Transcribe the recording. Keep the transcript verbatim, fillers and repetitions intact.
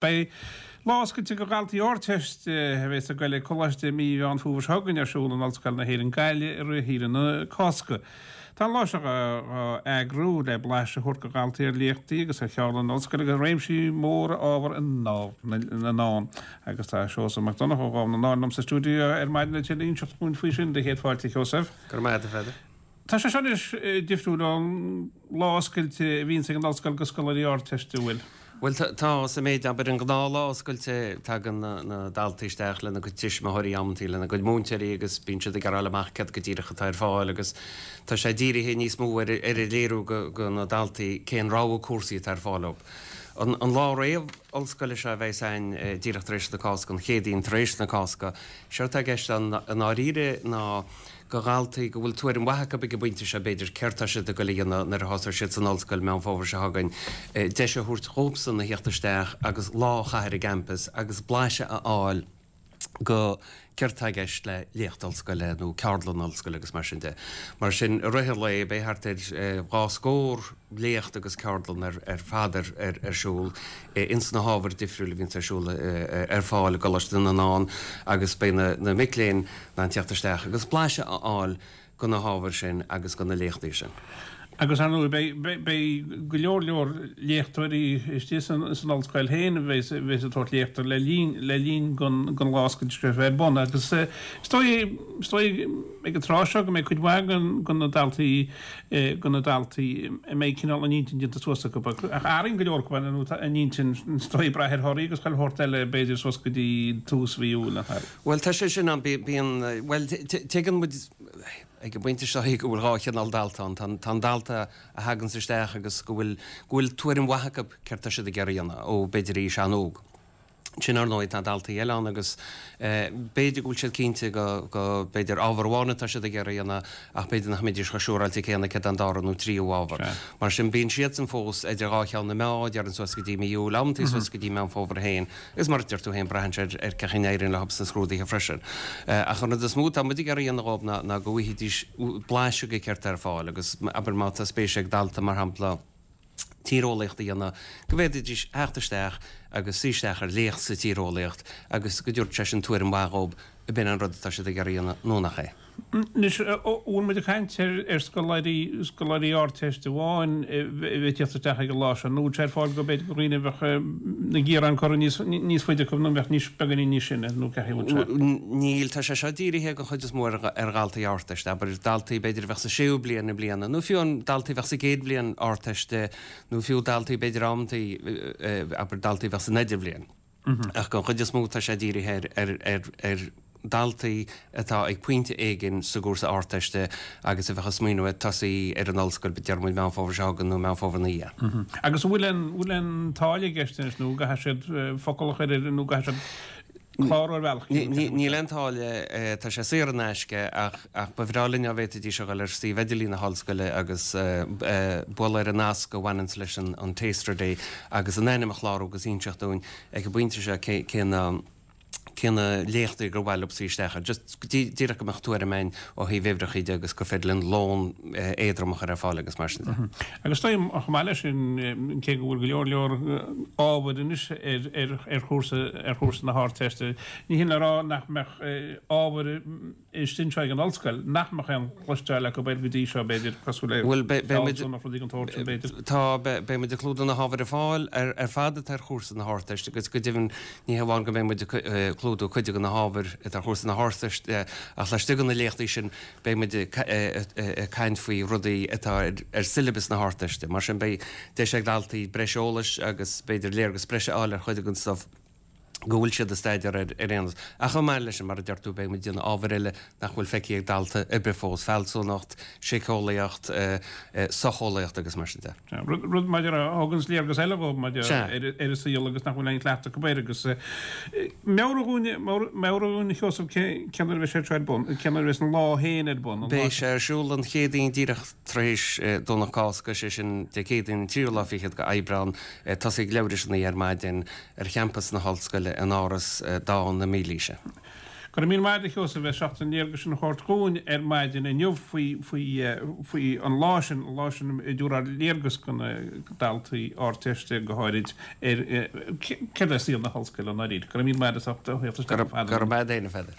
Beidh lá oscailte do dhaltaí Ardteiste a bheas ag goil ag coláiste mí Mheán Fómhair seo chugainn ar siúl in Ollscoil na hÉireann Gaillimh i rith shaoire na Cásca. Tá an lá seo á eagrú le blaiseadh a thabhairt do dhaltaí ar léachtaí agus ar cheardlanna ollscoile agus réimsí móra ábhar i nDámh na nDán. Agus tá Seosamh Mac Donncha ó Dhámh na nDán liom sa stiúideo ar maidin le tuilleadh a inseacht dhúinn faoi sin. Dé chéad fáilte, a Sheosaimh. Go raibh maith agat, a Pheadair. Tá sé seo anois difriúil ón lá oscailte a bhíonns ag an ollscoil do scoláirí Ardteiste, an bhfuil? Bhuel, tá, sa méid, abair, an gnáthlá oscailte, tagann na daltaí isteach lena gcuid tuismitheoirí amantaí, lena gcuid múinteoirí agus bíonn siad ag iarraidh fháil amach céard go díreach atá ar fáil agus tá sé dírithe níos mó ar ar a léiriú go na daltaí cén rogha cúrsaí atá ar fáil dóibh. An an lá réamh-ollscoile seo a bheas againn díreach tar éis na Cásca, an Chéadaoin tar éis na Cásca, séard atá i gceist ann i ndáiríre ná go dhaltaí go bhfuil tuairim mhaith acu ag an bpointe seo, b'fhéidir, céard tá siad ag goil a dhéanamh nuair a thosóidh siad san ollscoil Meán Fómhair seo chugainn, deis a thabhairt dhóibhsan a theacht isteach agus lá a chaitheamh ar an gcampas agus blaiseadh a fháil go céard tá i gceist le léacht ollscoile nó ceardlann ollscoile agus mar sin de. Mar sin, i rith an lae, beidh thart ar dhá scór léacht agus ceardlann ar fad ar siúl ins na hábhair difriúil a bhíonns ar siúl ar fáil i gColáiste na nDán agus beidh na mic léinn in ann teacht isteach agus blaiseadh a fháil go na hábhair sin agus go na léachtaí sin. Agus ar ndóigh beidh beidh go leor leor léachtóirí istigh san san ollscoil féin a bheas a bheas ag tabhairt léachta le linn le linn gon gon lá oscailte seo a bheith ar bun agus is dóigh is dóigh ag an tráth seo go mbeidh cuid mhaith gon gon na daltaí go na daltaí a mbeidh cineál a n-intinn déanta suas acu ach athraíonn go leor acu nó tá a n-intinn is dóigh ag brath ar thorthaí agus chuile shórt eile b'fhéidir suas go dtí tús mhí Iúil nach ea? Bhuel tá sé sin ann bíonn bhuel tuigeann muid ag an bpointe seo go bhfuil dhá chineál dalta ann. Tá an dalta a thaganns isteach agus go bhfuil go bhfuil tuairim mhaith acu céard tá siad ag iarraidh a dhéanamh ó b'fhéidir aois an-óg. Sin ar ndóigh tá daltaí eile ann agus b'fhéidir go bhfuil siad cinnte go go b'fhéidir ábhar amháin atá siad ag iarraidh a dhéanamh ach b'fhéidir nach mbeidís chomh siúráilte céanna céard é an dara nó tríú ábhar. Mar sin bíonn siadsan fós idir dhá cheann na meá, déarfainn suas go dtí mí Iúil, amantaí suas go dtí Meán Fómhair féin. Agus mar a deir tú féin, braitheann sé ar cén chaoi a n-éiríonn leo sna scrúduithe freisin. Ach an rud is mó atá muid ag iarraidh a dhéanamh dhóibh ná ná go bhfaighidís blaiseadh de céard atá ar fáil agus abair má tá spéis ag dalta, mar shampla, tíreolaíocht a dhéanamh, go bhféadfaidís theacht isteach agus suí isteach ar léacht sa tíreolaíocht agus go dtabharfadh sé sin tuairim mhaith dhóibh ab in an rud atá siad ag iarraidh a dhéanamh nó nach é. Anois, an bhfuil muid ag caint ar scoláirí, scoláirí Ardteiste amháin a bheidh ag tíocht isteach ag an lá seo, nó an bhfuil sé ar fáil go b'fhéidir do dhaoine a bheadh na gearáin curtha níos, níos faide acu nó a bheadh níos, beagáinín níos sine, nó cén chaoi a bhfuil sé? Níl, tá sé seo dírithe den chuid is mó ar ar dhaltaí Ardteiste, abair daltaí b'fhéidir a bheadh sa séú bliain i mbliana, nó fiú an daltaí a bheadh sa gcéad bhliain Ardteiste, nó fiú daltaí b'fhéidir amantaí, abair daltaí a bheadh san idirbhliain. Ach den chuid is mó tá sé dírithe ar ar ar daltaí atá ag pointe éigin sa gcúrsa Ardteiste agus a bheadh ag smaoineamh ar tosaí ar an ollscoil, deir muid Meán Fómhair seo chugainn nó Meán Fómhair ina dhiaidh. Agus an bhfuil aon bhfuil aon táille i gceist anois nó an gcaithfidh siad focal a chur ar nó an gcaithfidh siad clárú ar bhealach éigin? Níl aon táille, tá sé saor in aisce ach ach ba bhreá linn dá bhféadfaidís a dhul ar suíomh idirlín na hollscoile agus bualadh ar an nasc a bhaineanns leis an Taster Day agus a n-ainm a chlárú agus inseacht dúinn ag an bpointe seo cé na cé na léachtaí gur mhaith leo suí isteach air. Just díreach go mbeadh tuairim againn ó thaobh uimhreacha de agus gur féidir linn lón éadrom a chur ar fáil agus mar sin de. Agus is dóigh chomh maith leis sin, cé go bhfuil go leor leor ábhair anois ar ar ar chúrsa ar chúrsa na hArdteiste, ní hin le rá nach mbeadh ábhair istigh anseo ag an ollscoil nach mbeadh aon chloisteáil acu air go dtí seo, b'fhéidir, cosúil le Bhuel, beidh muid, fealsúnacht, rudaí den tsórt sin, b'fhéidir. Tá, beidh muid ag clúdú na hábhair ar fáil ar ar fad atá ar chúrsa na hArdteiste agus go deimhin ní hamháin go mbeidh muid ag clúdú cuid de na hábhair atá ar chúrsa na hArdteiste ach laistigh de na léachtaí sin beidh muid ag caint faoi rudaí atá ar siollabas na hArdteiste. Mar sin beidh deis ag daltaí breis eolais agus b'fhéidir léargas breise a fháil ar chuid den stuif go bhfuil siad ag staidéar air ar aon nós. Ach chomh maith leis sin, mar a deir tú, beidh muid ag déanamh ábhair eile nach bhfuil feicthe ag dalta ar bith fós, fealsúnacht, síceolaíocht, socheolaíocht agus mar sin de. Sea, rud, rud maidir a thuganns léargas eile dhóibh maidir ar, ar an saol agus nach bhfuil aon chleachtadh acu air agus meabhraigh dhúinn, meabhraigh dhúinn a Sheosaimh cé, cén uair a bheidh sé seo ar bun, cén uair a bheas an lá féin ar bun, an lá. Beidh sé ar siúl an Chéadaoin díreach tar éis Domhnach Cásca, sé sin Dé Céadaoin an tríú lá fichead de Aibreán, tosaí ag leathuair tar éis a naoi ar maidin. ar champas na hOllscoile in Áras Dán na Mílaoise. Go raibh míle maith agat a Sheosaimh as ucht an léargas sin a thabhairt dhúinn ar maidin inniu faoi faoi faoi an lá sin, an lá sin ag tabhairt léargas do na daltaí Ardteiste go háirid ar céard é saol na hollscoile i ndáiríre. Go raibh míle maith agat as ucht a theacht isteach a Pheadair. Go raibh maith agat féin a Pheadair.